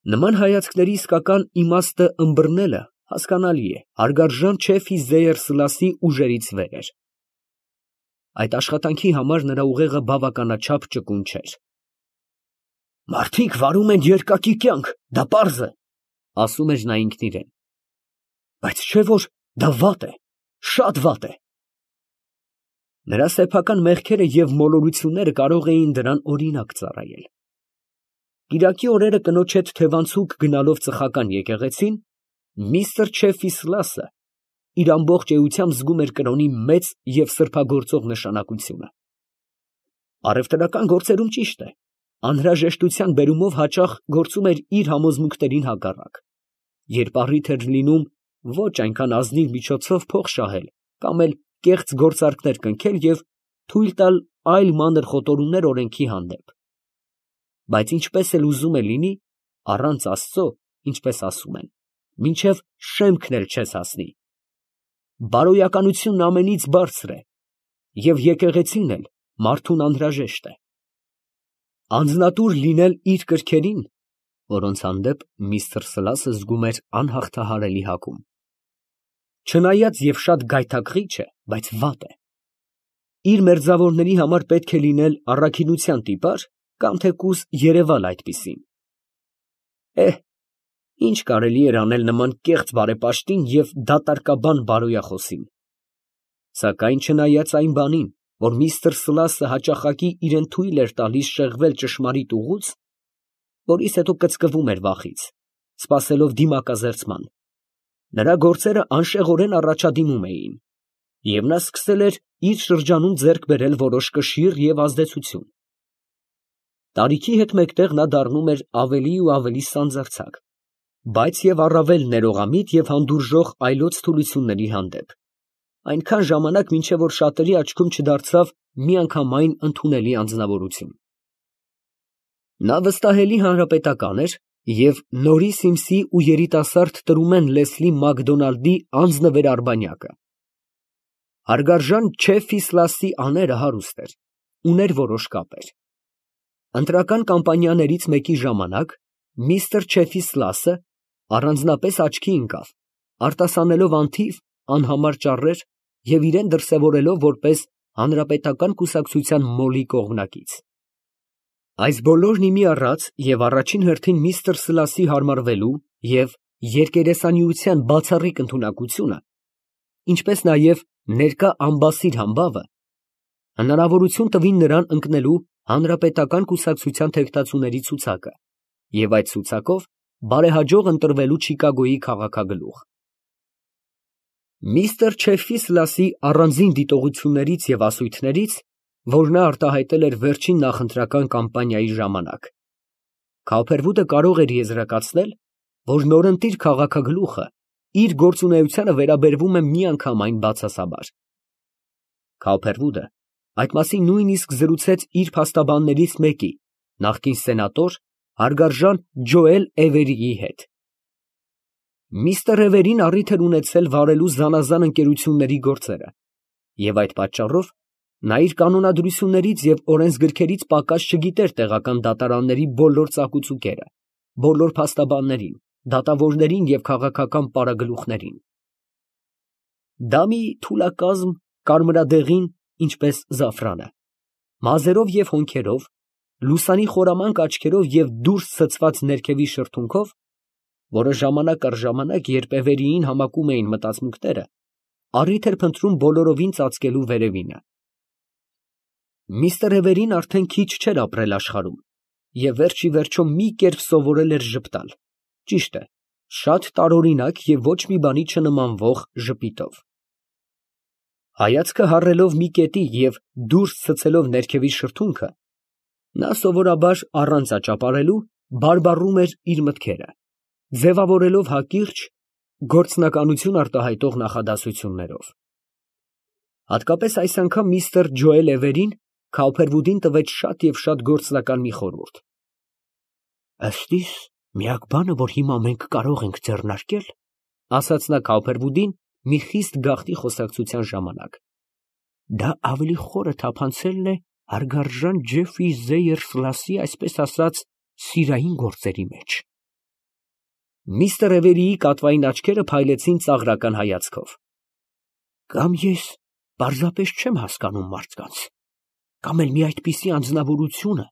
Նման հայացքների իսկական իմաստը ըմբռնելը հասկանալի է, հարգարժան չէ Ֆիզեյր Սլասի ուժերից վեր էր։ Այդ աշխատանքի համար նրա ուղեղը բավականաչափ ճկուն չէր։ Մարդիկ վարում են երկակի կյանք, դա պարզ է, ասում էր նա ինքն իրեն։ Բայց չէ՞ որ դա վատ է, շատ վատ է։ Նրա սեփական մեղքերը և մոլորությունները կարող էին դրան օրինակ ծառայել։ Կիրակի օրերը կնոջ հետ թևանցուկ գնալով ծխական եկեղեցին, միստր Չեֆի Սլասը իր ամբողջ էությամբ զգում էր կրոնի մեծ և սրբագործող նշանակությունը։ Առևտրական գործերում ճիշտ է, անհրաժեշտության բերումով հաճախ գործում էր իր համոզմունքներին հակառակ, երբ առիթ էր լինում ոչ այնքան ազնիվ միջոցով փող շահել կամ էլ կեղծ գործարքներ կնքել և թույլ տալ այլ մանր խոտորումներ օրենքի հանդեպ։ Բայց ինչպես էլ ուզում է լինի, առանց Աստծո, ինչպես ասում են, մինչև շեմքն էլ չես հասնի։ Բարոյականությունն ամենից բարձր է, և եկեղեցին էլ մարդուն անհրաժեշտ է։ Անձնատուր լինել իր կրքերին, որոնց հանդեպ միստր Սլասը զգում էր անհաղթահարելի հակում։ Չնայած և շատ գայթակղիչ է, բայց վատ է։ Իր մերձավորների համար պետք է լինել առաքինության տիպար կամ թեկուզ երևալ այդպիսին։ Ինչ կարելի էր անել նման կեղծ բարեպաշտին և դատարկաբան բարոյախոսին։ Սակայն չնայած այն բանին, որ միստր Սլասը հաճախակի իրան թույլ էր տալիս շեղվել ճշմարիտ ուղուց, որից հետո կծկվում էր վախից, սպասելով դիմակազերծման, նրա գործերը անշեղորեն առաջադիմում էին, և նա սկսել էր իր շրջանում ձեռք բերել որոշ կշիռ և ազդեցություն։ Տարիքի հետ մեկտեղ նա դառնում էր ավելի ու ավելի սանձարձակ, բայց և առավել ներողամիտ և հանդուրժող այլոց թուլությունների հանդեպ, այնքան ժամանակ, մինչև որ շատերի աչքում չդարձավ միանգամայն ընդունելի անձնավորություն։ Նա վստահելի հանրապետական էր և Նորի Սիմսի ու երիտասարդ տրումեն Լեսլի Մակդոնալդի անձնվեր արբանյակը։ Հարգարժան Չեֆի Սլասի աները հարուստ էր, ուներ որոշ կապեր։ Ընտրական կամպանիաներից մեկի ժամանակ միստր Չեֆի Սլասը առանձնապես աչքի ընկավ, արտասանելով անթիվ անհամար ճառեր և իրան դրսևորելով որպես հանրապետական կուսակցության մոլի կողմնակից։ Այս բոլորն ի մի առած և առաջին հերթին միստր Սլասի հարմարվելու և երկերեսանիության բացառիկ ընդունակությունը, ինչպես նաև ներկա ամբասիր համբավը, հնարավորություն տվին նրան ընկնելու հանրապետական կուսակցության թեկնածուների ցուցակը և այդ ցուցակով բարեհաջող ընտրվելու Չիկագոյի քաղաքագլուխ։ Միստր Չեֆի Սլասի առանձին դիտողություններից և ասույթներից, որ նա արտահայտել էր վերջին նախընտրական կամպանիայի ժամանակ, Քավփերվուդը կարող էր եզրակացնել, որ նորընտիր քաղաքագլուխը իր գործունեությանը վերաբերվում է միանգամայն բացասաբար։ Քավփերվուդը այդ մասին նույնիսկ զրուցեց իր փաստաբաններից մեկի, նախկին սենատոր հարգարժան Ջոել Էվերիի հետ։ Միստր Էվերին առիթ էր ունեցել վարելու զանազան ընկերությունների գործերը, և այդ պատճառով նա իր կանոնադրություններից և օրենսգրքերից պակաս չգիտեր տեղական դատարանների բոլոր ծակուցուկերը, բոլոր փաստաբաններին, դատավորներին և քաղաքական պարագլուխներին։ Դա մի թուլակազմ կարմրադեղին, ինչպես զաֆրանը, մազերով և հոնքերով, լուսանի խորամանկ աչքերով և դուրս ցցված ներքևի շրթունքով, որը ժամանակ առ ժամանակ, երբ Էվերիին համակում էին մտածմունքները, առիթ էր փնտրում բոլորովին ծածկելու վերևինը։ Միստր Էվերին արդեն քիչ չէր ապրել աշխարհում և վերջ ի վերջո մի կերպ սովորել էր ժպտալ, ճիշտ է, շատ տարօրինակ և ոչ մի բանի չնմանվող ժպիտով։ Հայացքը հառելով մի կետի և դուրս ցցելով ներքևի շրթունքը, նա սովորաբար առանց աճապարելու բարբառում էր իր մտքերը, ձևավորելով հակիրճ, գործնականություն արտահայտող նախադասություններով։ Հատկապես այս անգամ միստր Ջոել Էվերին Քավփերվուդին տվեց շատ և շատ գործնական մի խորհուրդ։ «Ըստ իս, միակ բանը, որ հիմա մենք կարող ենք ձեռնարկել, ֊ ասաց նա Քավփերվուդին մի խիստ գաղտնի խոսակցության ժամանակ, ֊ դա ավելի խորը թափանցելն է հարգարժան Ջեֆի Զեյր Սլասի, այսպես ասած, սիրային գործերի մեջ։ Միստր Էվերիի կատվային աչքերը փայլեցին ծաղրական հայացքով։ Կամ ես պարզապես չեմ հասկանում մարդկանց, կամ էլ մի այդպիսի անձնավորությունը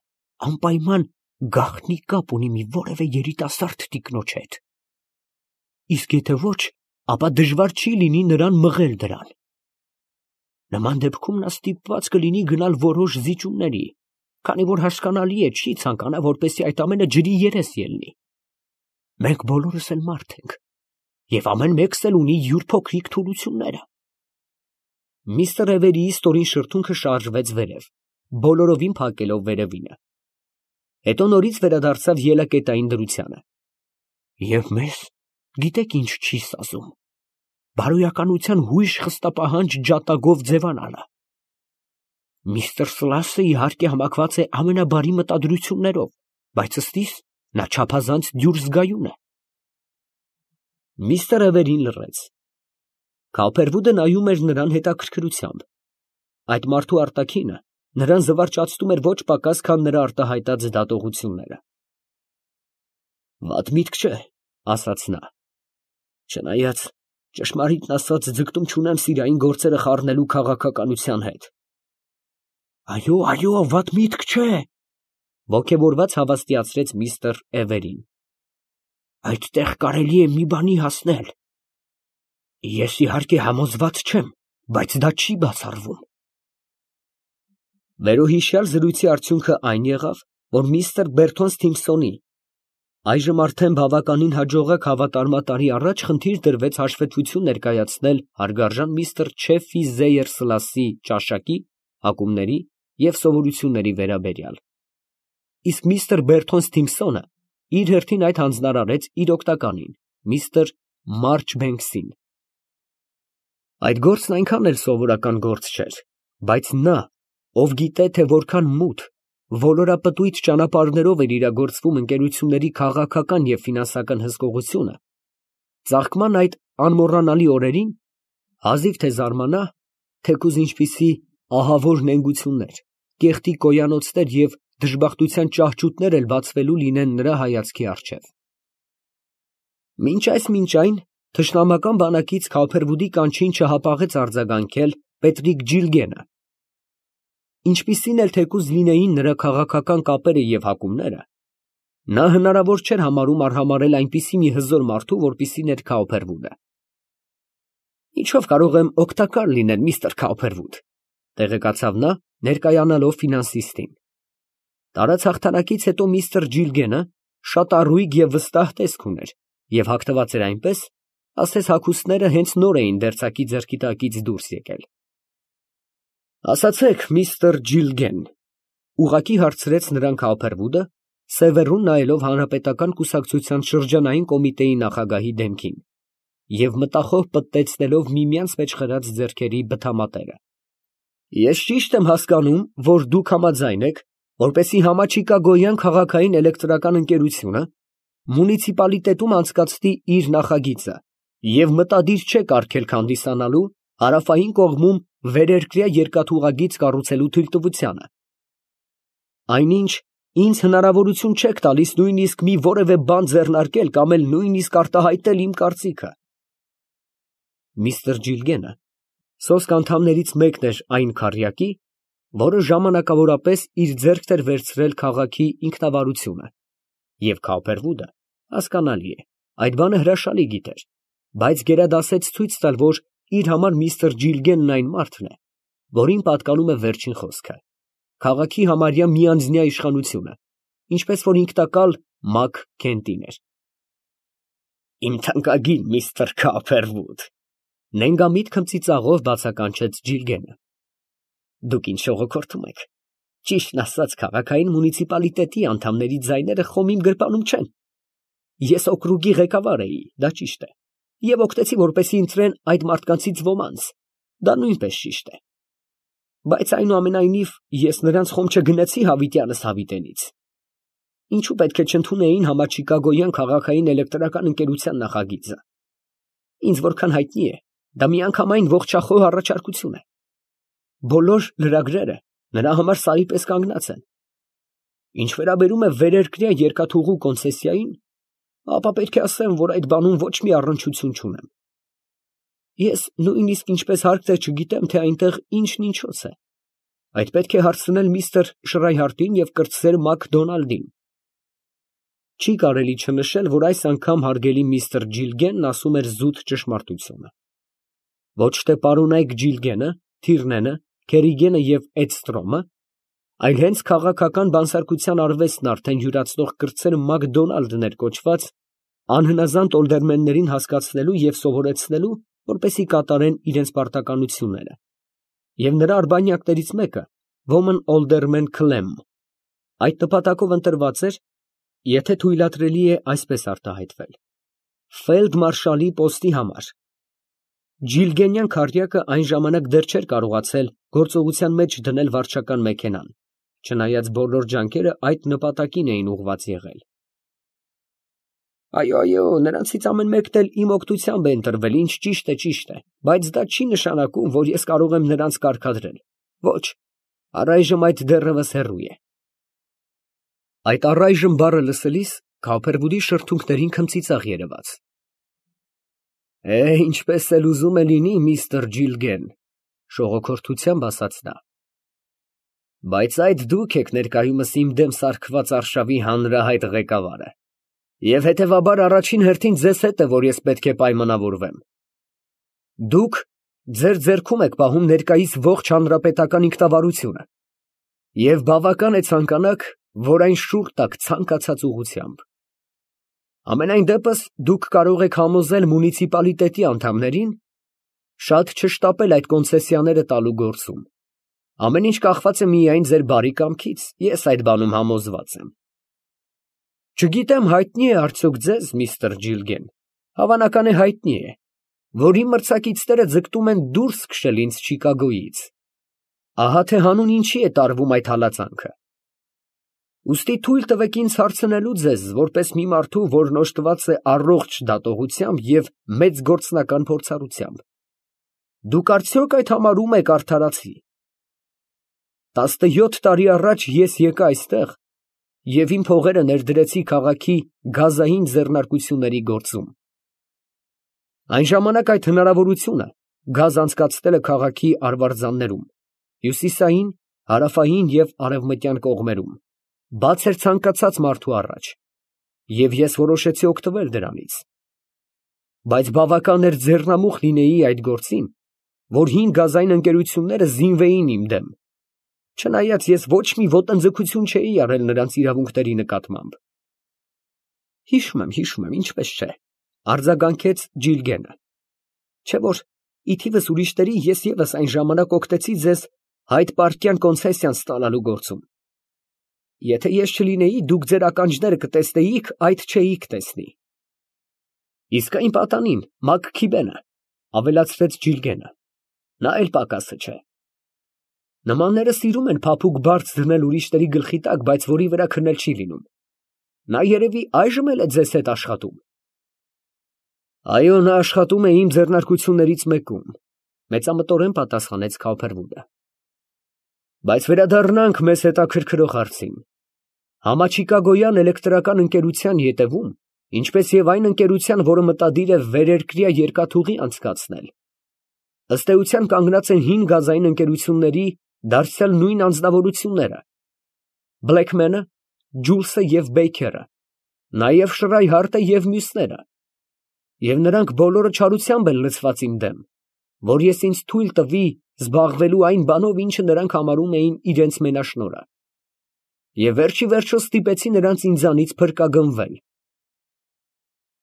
անպայման գաղտնի կապ ունի մի որևէ երիտասարդ տիկնոջ հետ։ Իսկ եթե ոչ, ապա դժվար չի լինի նրան մղել դրան։ Նման դեպքում նա ստիպված կլինի գնալ որոշ զիջումների, քանի որ հասկանալի է, չի ցանկանա, որպեսզի այդ ամենը ջրի երես ելնի։ Մենք բոլորս էլ մարդ ենք, եւ ամեն մեկս էլ ունի յուր փոքրիկ թուլությունները։ Միստր Էվերիի ստորին շրթունքը շարժվեց վերև, բոլորովին փակելով վերևինը։ Հետո նորից վերադարձավ ելակետային դրությանը։ Եվ մեզ, գիտեք ինչ չի սազում, բարոյականության հույժ խստապահանջ ջատագով ձևանալը։ Միստր Սլասը իհարկե համակված է ամենաբարի մտադրություններով, բայց ըստիս նա չափազանց դյուր զգայուն է։ Միստր Էվերին լռեց։ Քոփերվուդը նայում էր նրան հետաքրքրությամբ։ Այդ մարդու արտաքինը նրան զվարճացնում էր ոչ պակաս, քան նրա արտահայտած դատողությունները։ Վատ միտք չէ, ասաց նա։ Չնայած, ճշմարիտն ասած, ձգտում չունեմ սիրային գործերը խառնելու քաղաքականության հետ։ Այո, վատ միտք չէ, ոգևորված հավաստիացրեց միստր Էվերին։ Այդտեղ կարելի է մի բանի հասնել։ Ես իհարկե համոզված չեմ, բայց դա չի բացառվում։ Վերոհիշյալ զրույցի արդյունքը այն եղավ, որ միստր Բերթոն Սթիմփսոնի այժմ արդեն բավականին հաջողակ հավատարմատարի առաջ խնդիր դրվեց հաշվետվություն ներկայացնել հարգարժան միստր Չեֆի Զեյեր Սլասի ճաշակի, հակումների և սովորությունների վերաբերյալ։ Իսկ միստր Բերթոն Սթիմփսոնը իր հերթին այդ հանձնարարեց իր օգնականին, միստր Մարչբենքսին։ Այդ գործն այնքան էլ սովորական գործ չէր, բայց նա, ով գիտե, թե որքան մութ, ոլորապտույտ ճանապարհներով էր իրագործվում ընկերությունների քաղաքական և ֆինանսական հսկողությունը, ծաղկման այդ անմոռանալի օրերին հազիվ թե զարմանա, թեկուզ ինչպիսի ահավոր նենգություններ, կեղտի կոյանոցներ և դժբախտության ճահճուտներ էլ բացվելու լինեն նրա հայացքի առջև։ Մինչ այն, թշնամական բանակից Քոփերվուդի կանչին չհապաղեց արձագանքել Պետրիկ Ջիլգենը։ Ինչպիսին էլ թեկուզ լինեին նրա քաղաքական կապերը և հակումները, նա հնարավոր չէր համարում արհամարհել այնպիսի մի հզոր մարդու, որպիսին էր Քոփերվուդը։ Ինչով կարող եմ օգտակար լինել, միստր Քոփերվուդ, տեղեկացավ նա, ներկայանալով ֆինանսիստին։ Տարած հաղթանակից հետո միստր Ջիլգենը շատ առույգ և վստահ տեսք ուներ և հագնված էր այնպես, ասես հագուստները հենց նոր էին դերձակի ձեռքի տակից դուրս եկել։ Ասացեք, միստր Ջիլգեն, ուղղակի հարցրեց նրան Քոփերվուդը, սևեռուն նայելով հանրապետական կուսակցության շրջանային կոմիտեի նախագահի դեմքին և մտախոհ պտտեցնելով միմյանց մեջ խրած ձեռքերի բթամատերը։ Ես ճիշտ եմ հասկանում, որ դուք համաձայն եք, որպեսզի Համաչիկագոյան քաղաքային էլեկտրական ընկերությունը մունիցիպալիտետում անցկացնի իր նախագիծը և մտադիր չեք արգելք հանդիսանալու հարավային կողմում վերերկրյա երկաթուղագիծ կառուցելու թույլտվությանը։ Այնինչ, ինձ հնարավորություն չեք տալիս նույնիսկ մի որևէ բան ձեռնարկել կամ էլ նույնիսկ արտահայտել իմ կարծիքը։ Միստր Ջիլգենը սոսկ անդամներից մեկն էր այն քառյակի, որը ժամանակավորապես իր ձեռքն էր վերցրել քաղաքի ինքնավարությունը, և Քոփերվուդը, հասկանալի է, այդ բանը հրաշալի գիտեր, բայց գերադասեց ցույց տալ, որ իր համար միստր Ջիլգենն այն մարդն է, որին պատկանում է վերջին խոսքը, քաղաքի համարյա միանձնյա իշխանությունը, ինչպես որ ինքնակալ Մակ Քենտին էր։ Իմ թանկագին միստր Քոփերվուդ, նենգամիտ քմծիծաղով բացականչեց Ջիլգենը։ Դուք ինչ շողոքորթում եք։ Ճիշտն ասած, քաղաքային մունիցիպալիտետի անդամների ձայները խոմ իմ գրպանում չեն։ Ես օկրուգի ղեկավար էի, դա ճիշտ է, և օգնեցի, որպեսզի ընտրեն այդ մարդկանցից ոմանց, դա նույնպես ճիշտ է։ Բայց այնուամենայնիվ ես նրանց խոմ չգնեցի հավիտյանս հավիտենից։ Ինչու պետք է չընդունեին Համաչիկագոյան քաղաքային էլեկտրական ընկերության նախագիծը։ Ինձ որքան հայտնի է, դա միանգամայն ողջախոհ առաջարկություն է։ Բոլոր լրագրերը նրա համար սարի պես կանգնած են։ Ինչ վերաբերում է վերերկրյա երկաթուղու կոնցեսիային, ապա պետք է ասեմ, որ այդ բանում ոչ մի առնչություն չունեմ։ Ես նույնիսկ ինչպես հարկ թե չգիտեմ, թե այնտեղ ինչն ինչոց է։ Այդ պետք է հարցնել միստր Շրայհարտին և կրտսեր Մակդոնալդին։ Չի կարելի չնշել, որ այս անգամ հարգելի միստր Ջիլգենն ասում էր զուտ ճշմարտությունը։ Ոչ թե պարոնայք Ջիլգենը, Թիրնենը, Քերիգենը և Էդստրոմը, այլ հենց քաղաքական բանսարկության արվեստն արդեն յուրացնող կրտսեր Մակդոնալդն էր կոչված անհնազանդ օլդերմեններին հասկացնելու և սովորեցնելու, որպեսզի կատարեն իրենց պարտականությունները, և նրա արբանյակներից մեկը Woman Alderman Clem այդ նպատակով ընտրված էր, եթե թույլատրելի է այսպես արտահայտվել, ֆելդմարշալի պոստի համար։ Ջիլգենյան քառյակը այն ժամանակ դեռ չէր կարողացել գործողության մեջ դնել վարչական մեքենան, չնայած բոլոր ջանքերը այդ նպատակին էին ուղղված եղել։ Այո, նրանցից ամեն մեկն էլ իմ օգնությամբ է ընտրվել, ինչ ճիշտ է, բայց դա չի նշանակում, որ ես կարող եմ նրանց կարգադրել։ Ոչ, առայժմ այդ դեռևս հեռու է։ Այդ առայժմ բառը լսելիս Քոփերվուդի շրթունքներին քմծիծաղ երևաց։ Ինչպես էլ ուզում է լինի, միստր Ջիլգեն, շողոքորթությամբ ասաց նա։ Բայց այդ դուք եք ներկայումս իմ դեմ սարքված արշավի հանրահայտ ղեկավարը, և հետևաբար առաջին հերթին ձեզ հետ է, որ ես պետք է պայմանավորվեմ։ Դուք ձեր ձեռքում եք պահում ներկայիս ողջ հանրապետական ինքնավարությունը, և բավական է ցանկանաք, որ այն շուռ տաք ցանկացած ուղղությամբ։ Ամենայն դեպս դուք կարող եք համոզել մունիցիպալիտետի անդամներին շատ չշտապել այդ կոնցեսիաները տալու գործում։ Ամեն ինչ կախված է միայն ձեր բարի կամքից, ես այդ բանում համոզված եմ։ Չգիտեմ, հայտնի է արդյոք ձեզ, միստր Ջիլգեն, հավանական է հայտնի է, որ իմ մրցակիցները ձգտում են դուրս քշել ինձ Չիկագոյից։ Ահա թե հանուն ինչի է տարվում այդ հալածանքը։ Ուստի թույլ տվեք ինձ հարցնելու ձեզ, որպես մի մարդու, որն օժտված է առողջ դատողությամբ և մեծ գործնական փորձառությամբ։ Դուք արդյոք այդ համարում եք արդարացի։ 17 տարի առաջ ես եկա այստեղ և իմ փողերը ներդրեցի քաղաքի գազային ձեռնարկությունների գործում։ Այն ժամանակ այդ հնարավորությունը գազ անցկացնելը քաղաքի արվարձաններում, հյուսիսային, հարավային և արևմտյան կողմերում, բաց էր ցանկացած մարդու առաջ, և ես որոշեցի օգտվել դրանից։ Բայց բավական էր ձեռնամուխ լինեի այդ գործին, որ հին գազային ընկերությունները զինվեին իմ դեմ, չնայած ես ոչ մի ոտնձգություն չէի արել նրանց իրավունքների նկատմամբ։ Հիշում եմ, ինչպես չէ, արձագանքեց Ջիլգենը, չէ՞ որ ի թիվս ուրիշների ես ևս այն ժամանակ օգտեցի ձեզ Հայդ Պարկյան կոնցեսիան ստանալու գործում։ Եթե ես չլինեի, դուք ձեր ականջները կտեսնեիք, այդ չէիք տեսնի։ Իսկ այն պատանին, Մաքքիբենը, ավելացրեց Ջիլգենը, նա էլ պակասը չէ։ Նմանները սիրում են փափուկ բարձ դնել ուրիշների գլխի տակ, բայց որի վրա քնել չի լինում։ Նա երևի այժմ էլ է ձեզ հետ աշխատում։ Այո, նա աշխատում է իմ ձեռնարկություններից մեկում, մեծամտորեն պատասխանեց Քոփերվուդը։ Բայց վերադառնանք մեզ հետաքրքրող հարցին։ Համաչիկագոյան էլեկտրական ընկերության ետևում, ինչպես և այն ընկերության, որը մտադիր է վերերկրյա երկաթուղի անցկացնել, ըստ էության կանգնած են հին գազային ընկերությունների դարձյալ նույն անձնավորությունները, Բլեքմենը, Ջուլսը և Բեյքերը, նաև Շրայհարտը և մյուսները, և նրանք բոլորը չարությամբ են լցված իմ դեմ, որ ես ինձ թույլ տվի զբաղվելու այն բանով, ինչը նրանք համարում էին իրենց մենաշնորհը, և վերջիվերջո ստիպեցի նրանց ինձանից փրկագնվել։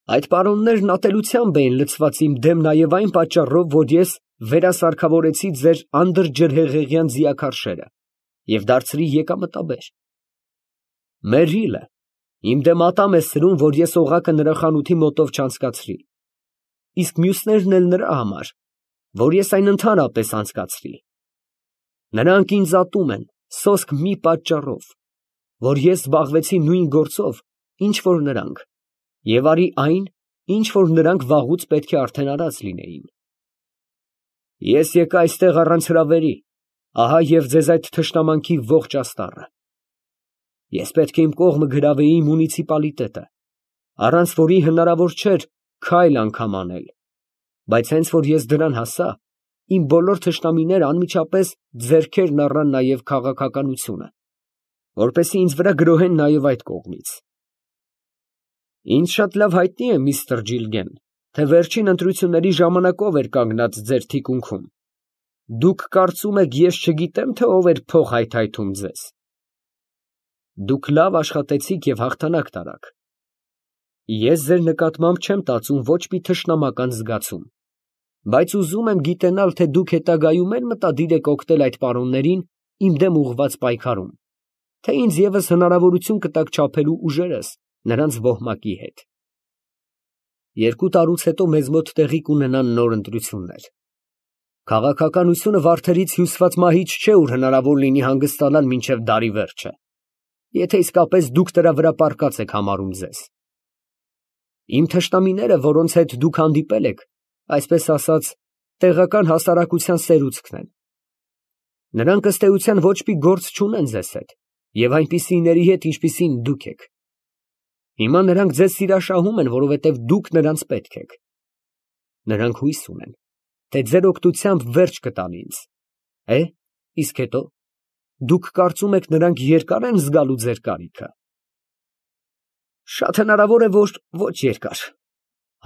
Այդ պարոններն ատելությամբ էին լցված իմ դեմ նաև այն պատճառով, որ ես վերասարքավորեցի ձեր անդրջրհեղեղյան ձիաքարշերը և դարձրի եկամտաբեր։ Մերիլը իմ դեմ ատամ է սրում, որ ես օղակը նրա խանութի մոտով չանցկացրի, իսկ մյուսներն էլ նրա համար, որ ես այն ընդհանրապես անցկացրի։ Նրանք ինձ ատում են սոսկ մի պատճառով, որ ես զբաղվեցի նույն գործով, ինչ որ նրանք, և արի այն, ինչ որ նրանք վաղուց պետք է արդեն արած լինեին։ Ես եկա այստեղ առանց հրավերի, ահա և ձեզ այդ թշնամանքի ողջ աստառը։ Ես պետք է իմ կողմը գրավեի մունիցիպալիտետը, առանց որի հնարավոր չէր քայլ անգամ անել, բայց հենց որ ես դրան հասա, իմ բոլոր թշնամիները անմիջապես ձեռքերն առան նաև քաղաքականությունը, որպեսզի ինձ վրա գրոհեն նաև այդ կողմից։ Ինձ շատ լավ հայտնի է, միստր Ջիլգեն, թե վերջին ընտրությունների ժամանակով էր կանգնած ձեր թիկունքում։ Դուք կարծում եք, ես չգիտեմ, թե ով էր փող հայթայթում ձեզ։ Դուք լավ աշխատեցիք և հաղթանակ տարաք։ Ես ձեր նկատմամբ չեմ տածում ոչ մի թշնամական զգացում, բայց ուզում եմ գիտենալ, թե դուք հետագայում էլ մտադիր եք օգնել այդ պարոններին իմ դեմ ուղղված պայքարում, թե ինձ ևս հնարավորություն կտաք չափելու ուժերս նրանց ոհմակի հետ։ 2 տարուց հետո մեզ մոտ տեղի կունենան նոր ընտրություններ։ Քաղաքականությունը վարդերից հյուսված մահիճ չէ, ուր հնարավոր լինի հանգստանալ մինչև դարի վերջը, եթե իսկապես դուք դրա վրա պառկած եք համարում ձեզ։ Իմ թշնամիները, որոնց հետ դուք հանդիպել եք, այսպես ասած, տեղական հասարակության սերուցքն են։ Նրանք ըստ էության ոչ մի գործ չունեն ձեզ հետ և այնպիսիների հետ, ինչպիսին դուք եք։ Հիմա նրանք ձեզ սիրաշահում են, որովհետև դուք նրանց պետք եք։ Նրանք հույս ունեն, թե ձեր օգնությամբ վերջ կտան ինձ։ Իսկ հետո դուք կարծում եք նրանք երկար են զգալու ձեր կարիքը։ Շատ հնարավոր է, որ ոչ երկար,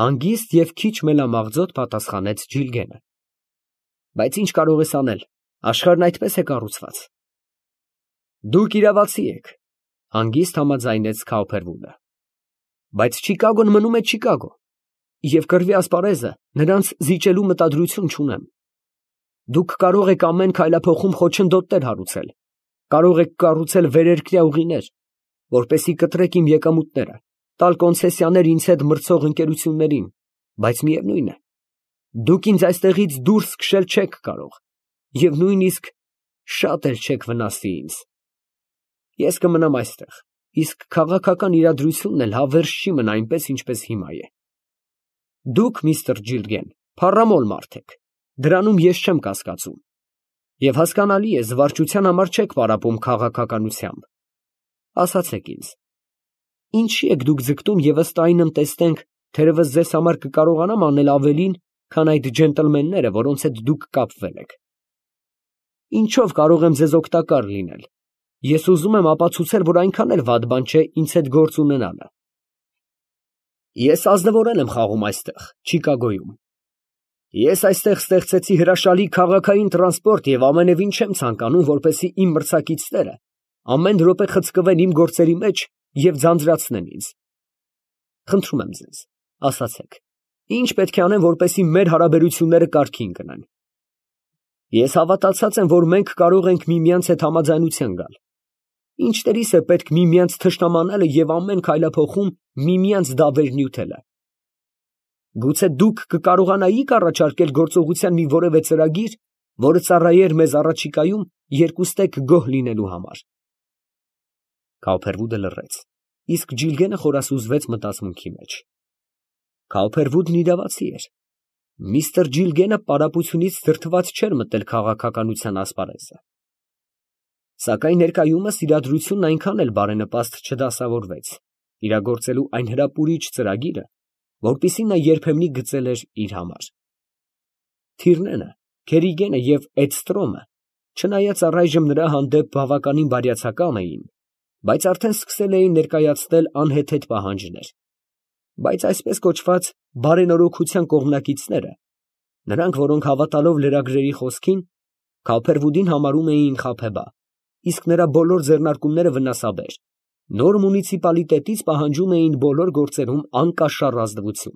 հանգիստ և քիչ մելամաղձոտ պատասխանեց Ջիլգենը։ Բայց ինչ կարող ես անել, աշխարհն այդպես է կառուցված։ Դուք իրավացի եք, հանգիստ համաձայնեց Քաուփերվուդը։ Բայց Չիկագոն մնում է Չիկագո, և կռվի ասպարեզը նրանց զիջելու մտադրություն չունեմ։ Դուք կարող եք ամեն քայլափոխում խոչընդոտներ հարուցել, կարող եք կառուցել վերերկրյա ուղիներ, որպեսզի կտրեք իմ եկամուտները, տալ կոնցեսիաներ ինձ հետ մրցող ընկերություններին, բայց միևնույն է, դուք ինձ այստեղից դուրս քշել չեք կարող և նույնիսկ շատ էլ չեք վնասի ինձ։ Ես կմնամ այստեղ, իսկ քաղաքական իրադրությունն էլ հավերժ չի մնա այնպես, ինչպես հիմա է։ Դուք, միստր Ջիլգեն, փառամոլ մարդ եք, դրանում ես չեմ կասկածում, և հասկանալի է, զվարճության համար չեք պարապում քաղաքականությամբ։ Ասացեք ինձ, ինչի եք դուք ձգտում և ըստ այնմ տեսնենք, թերևս ձեզ համար կկարողանամ անել ավելին, քան այդ ջենտլմենները, որոնց հետ դուք կապվել եք։ Ինչով կարող եմ ձեզ օգտակար լինել։ Ես ուզում եմ ապացուցել, որ այնքան էլ վատ բան չէ ինձ հետ գործ ունենալը։ Ես ազնվորեն եմ խաղում այստեղ, Չիկագոյում։ Ես այստեղ ստեղծեցի հրաշալի քաղաքային տրանսպորտ և ամենևին չեմ ցանկանում, որպեսզի իմ մրցակիցները ամեն րոպե խցկվեն իմ գործերի մեջ և ձանձրացնեն ինձ։ Խնդրում եմ ձեզ, ասացեք, ինչ պետք է անեմ, որպեսզի մեր հարաբերությունները կարգին գնան։ Ես հավատացած եմ, որ մենք կարող ենք միմյանց հետ համաձայնության գալ։ Ինչտերիս է պետք միմյանց թշնամանալը և ամեն քայլափոխում միմյանց դավեր նյութելը։ Գուցե դուք կկարողանայիք առաջարկել գործողության մի որևէ ծրագիր, որը ծառայեր մեզ առաջիկայում երկուստեք գոհ լինելու համար։ Քաուփերվուդը լռեց, իսկ Ջիլգենը խորասուզվեց մտածմունքի մեջ։ Քաուփերվուդն իրավացի էր։ Միստր Ջիլգենը պարապությունից դրդված չէր մտել քաղաքականության ասպարեզը։ Սակայն ներկայումս իրադրությունն այնքան էլ բարենպաստ չդասավորվեց իրագործելու այն հրապուրիչ ծրագիրը, որպեսզի նա երբեմնի գծել էր իր համար։ Թիրնենը, Քերիգենը և Էդստրոմը, չնայած առայժմ նրա հանդեպ բավականին բարյացակամ էին, բայց արդեն սկսել էին ներկայացնել անհեթեթ պահանջներ։ Բայց այսպես կոչված բարենորոգության կողմնակիցները, նրանք, որոնք հավատալով լրագրերի խոսքին, Քաուփերվուդին համարում էին խաբեբա, իսկ նրա բոլոր ձեռնարկումները վնասաբեր, նոր մունիցիպալիտետից պահանջում էին բոլոր գործերում անկաշառ ազնվություն։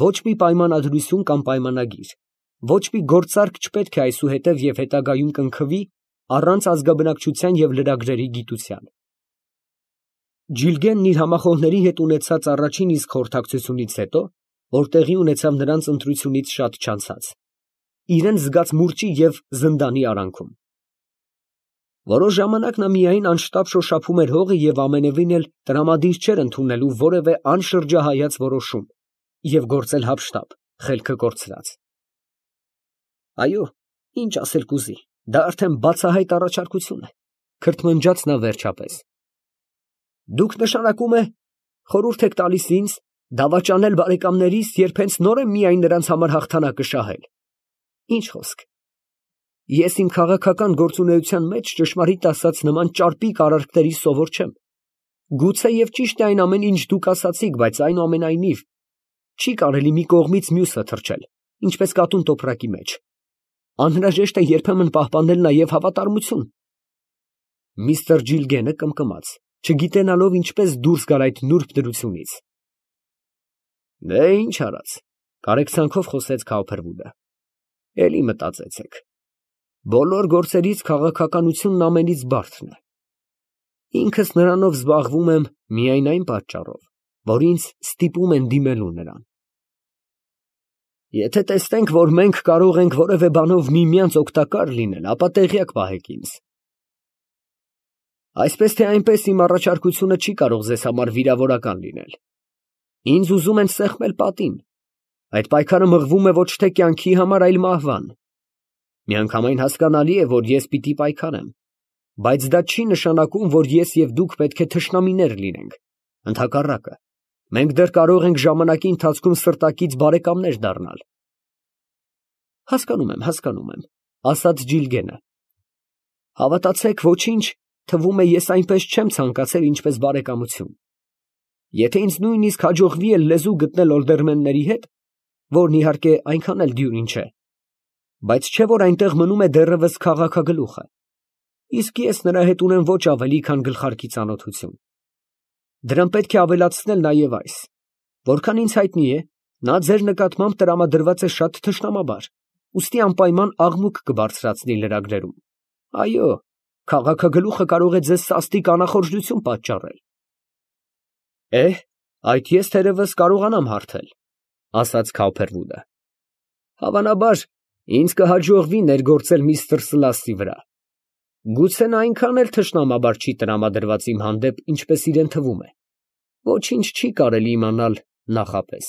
Ոչ մի պայմանադրություն կամ պայմանագիր, ոչ մի գործարք չպետք է այսուհետև և հետագայում կնքվի առանց ազգաբնակչության և լրագրերի գիտության։ Ջիլգենն իր համախոհների հետ ունեցած առաջին իսկ խորհրդակցությունից հետո, որ տեղի ունեցավ նրանց ընտրությունից շատ չանցած, իրեն զգաց մուրճի և զնդանի արանքում։ Որոշ ժամանակ նա միայն անշտապ շոշափում էր հողը և ամենևին էլ տրամադիր չէր ընդունելու որևէ անշրջահայաց որոշում և գործել հափշտապ, խելքը կորցրած։ Այո, ինչ ասել կուզի, դա արդեն բացահայտ առաջարկություն է, քրթմնջաց նա վերջապես։ Դուք նշանակում է խորհուրդ եք տալիս ինձ դավաճանել բարեկամներիս, երբ հենց նոր եմ միայն նրանց համար հաղթանակը շահել։ Ինչ խոսք։ Ես իմ քաղաքական գործունեության մեջ ճշմարիտ ասած նման ճարպիկ արարքների սովոր չեմ։ Գուցե և ճիշտ է այն ամեն ինչ դուք ասացիք, բայց այնուամենայնիվ չի կարելի մի կողմից մյուսը թռչել, ինչպես կատուն տոպրակի մեջ։ Անհրաժեշտ է երբեմն պահպանել նաև հավատարմություն։ Միստր Ջիլգենը կմկմաց, չգիտենալով ինչպես դուրս գալ այդ նուրբ դրությունից։ Դե ինչ արած, կարեկցանքով խոսեց Քաուփերվուդը։ Էլի մտածեցեք։ Բոլոր գործերից քաղաքականությունն ամենից բարդն է։ Ինքս նրանով զբաղվում եմ միայն այն պատճառով, որ ինձ ստիպում են դիմելու նրան։ Եթե տեսնենք, որ մենք կարող ենք որևէ բանով միմյանց օգտակար լինել, ապա տեղյակ պահեք ինձ։ Այսպես թե այնպես իմ առաջարկությունը չի կարող ձեզ համար վիրավորական լինել։ Ինձ ուզում են սեղմել պատին։ Այդ պայքարը մղվում է ոչ թե կյանքի համար, այլ մահվան։ Միանգամայն հասկանալի է, որ ես պիտի պայքարեմ, բայց դա չի նշանակում, որ ես և դուք պետք է թշնամիներ լինենք։ Ընդհակառակը, մենք դեռ կարող ենք ժամանակի ընթացքում սրտակից բարեկամներ դառնալ։ Հասկանում եմ, ասաց Ջիլգենը։ Հավատացեք, ոչինչ, թվում է, ես այնպես չեմ ցանկացել, ինչպես բարեկամություն։ Եթե ինձ նույնիսկ հաջողվի էլ լեզու գտնել օլդերմենների հետ, որն իհարկե այնքան էլ դյուրին չէ, բայց չէ որ այնտեղ մնում է դեռևս քաղաքագլուխը, իսկ ես նրա հետ ունեմ ոչ ավելի, քան գլխարկի ծանոթություն։ Դրան պետք է ավելացնել նաև այս, որքան ինձ հայտնի է, նա ձեր նկատմամբ տրամադրված է շատ թշնամաբար, ուստի անպայման աղմուկ կբարձրացնի լրագրերում։ Այո, քաղաքագլուխը կարող է ձեզ սաստիկ անախորժություն պատճառել։ Այդ ես թերևս կարողանամ հարթել, ասաց Քաուփերվուդը։ Հավանաբար, ինձ կհաջողվի ներգործել միստր Սլասի վրա։ Գուցե նա այնքան էլ թշնամաբար չի տրամադրված իմ հանդեպ, ինչպես իրեն թվում է։ Ոչինչ չի կարելի իմանալ նախապես։